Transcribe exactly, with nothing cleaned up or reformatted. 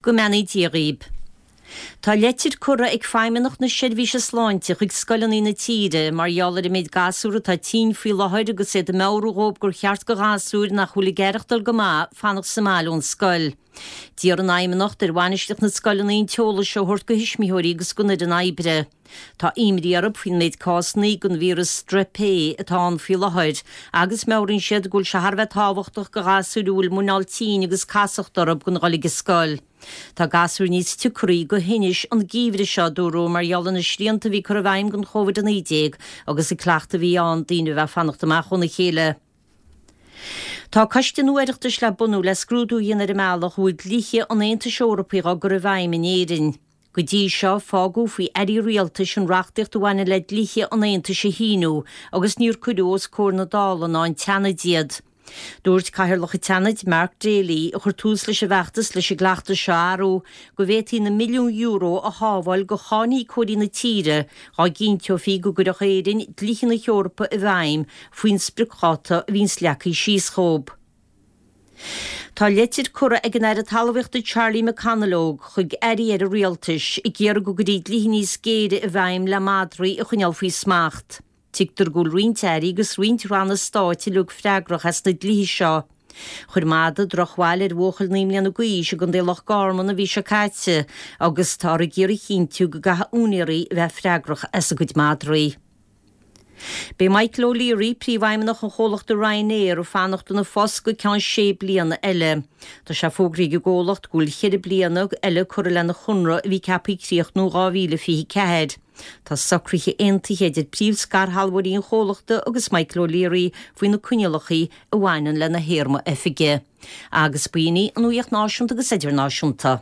Go mbeannaí Dia dhaoib. Tá leitir curtha ag Feidhmeannacht na Seirbhíse Sláinte chuig scoileanna na tíre mar gheall ar an méid gasúr atá tinn faoi láthair agus iad ag meabhrú dhóibh gur cheart do ghasúir nach bhfuil ag aireachtáil go maith fanacht sa mbaile ón scoil. D'iarr an Fheidhmeannacht ar bhainistíocht na scoileanna an t-eolas seo a thabhairt do thuismitheoirí agus don fhoireann oibre. Tá imní orthu faoin méid cásanna den víreas Strep A atá ann faoi láthair agus meabhraíonn siad go bhfuil sé thar a bheith tábhachtach do ghasúir a bhfuil muineál tinn agus casacht orthu gan dhul ag an scoil. Tá gasúir níos tiocraí do thinnis an geimhreadh seo, dúradh, mar gheall ar na srianta a bhí curtha i bhfeidhm don Chóivid a naoi déag agus an cleachtadh a bhí ann daoine a bheith ag fanacht amach óna chéile. Tá coiste nua Oireachtais le bunú le scrúdú a dhéanamh ar an mbealach a bhfuil dlíthe an Aontais Eorpaigh á gcur i bhfeidhm in Éirinn. Go dtí seo, fágadh faoi airí rialtais an reachtaíocht a bhaineann le dlíthe an Aontais a shíniú agus níor cuireadh os comhair na Dála ná an tSeanaid iad. Dúirt Cathaoirleach an tSeanaid, Mark Daly, a chuir tús leis an bhfeachtas leis an gcleachtas seo a athrú, go bhféadfaí na milliúin euro a shábháil do cháiníocóirí na tíre dá gcinnteofaí go gcuirfeadh Éirinn dlíthe na hEorpa i bhfeidhm faoin spriocdháta a bhíonns leagtha síos dhóibh. Tá leitir curtha ag an Aire Talmhaíochta Charlie McConalogue chuig airí eile rialtais ag iarraidh go gcuirfí dlíthe níos géire i bhfeidhm le madraí a choinneáil faoi smacht. Tuigtear go bhfuil roinnt airí agus roinnt ranna stáit uilig freagrach as na dlíthe seo. Chuir madadh drochbhail ar bhuachaill naoi mbliana d'aois i gContae Loch Garman an mhí seo caite agus táthar ag iarraidh a chinntiú go gcaithfidh úinéirí a bheith freagrach as a gcuid madraí. Beidh Michael O'Leary, príomhfheidhmeannach an chomhlachta Ryanair, ag fanacht ina phost go ceann sé bliana eile. Tá sé fógraithe ag an gcomhlacht go bhfuil ceithre bliana eile curtha lena chonradh a bhí ceaptha críochnú dhá mhíle fiche ceathair. Tá socruithe aontaithe idir príomh-scairshealbhóirí an chomhlachta agus Michael O'Leary faoi na coinníollacha a bhaineann lena théarma oifige. Agus b'in í an nuacht náisiúnta agus idirnáisiúnta.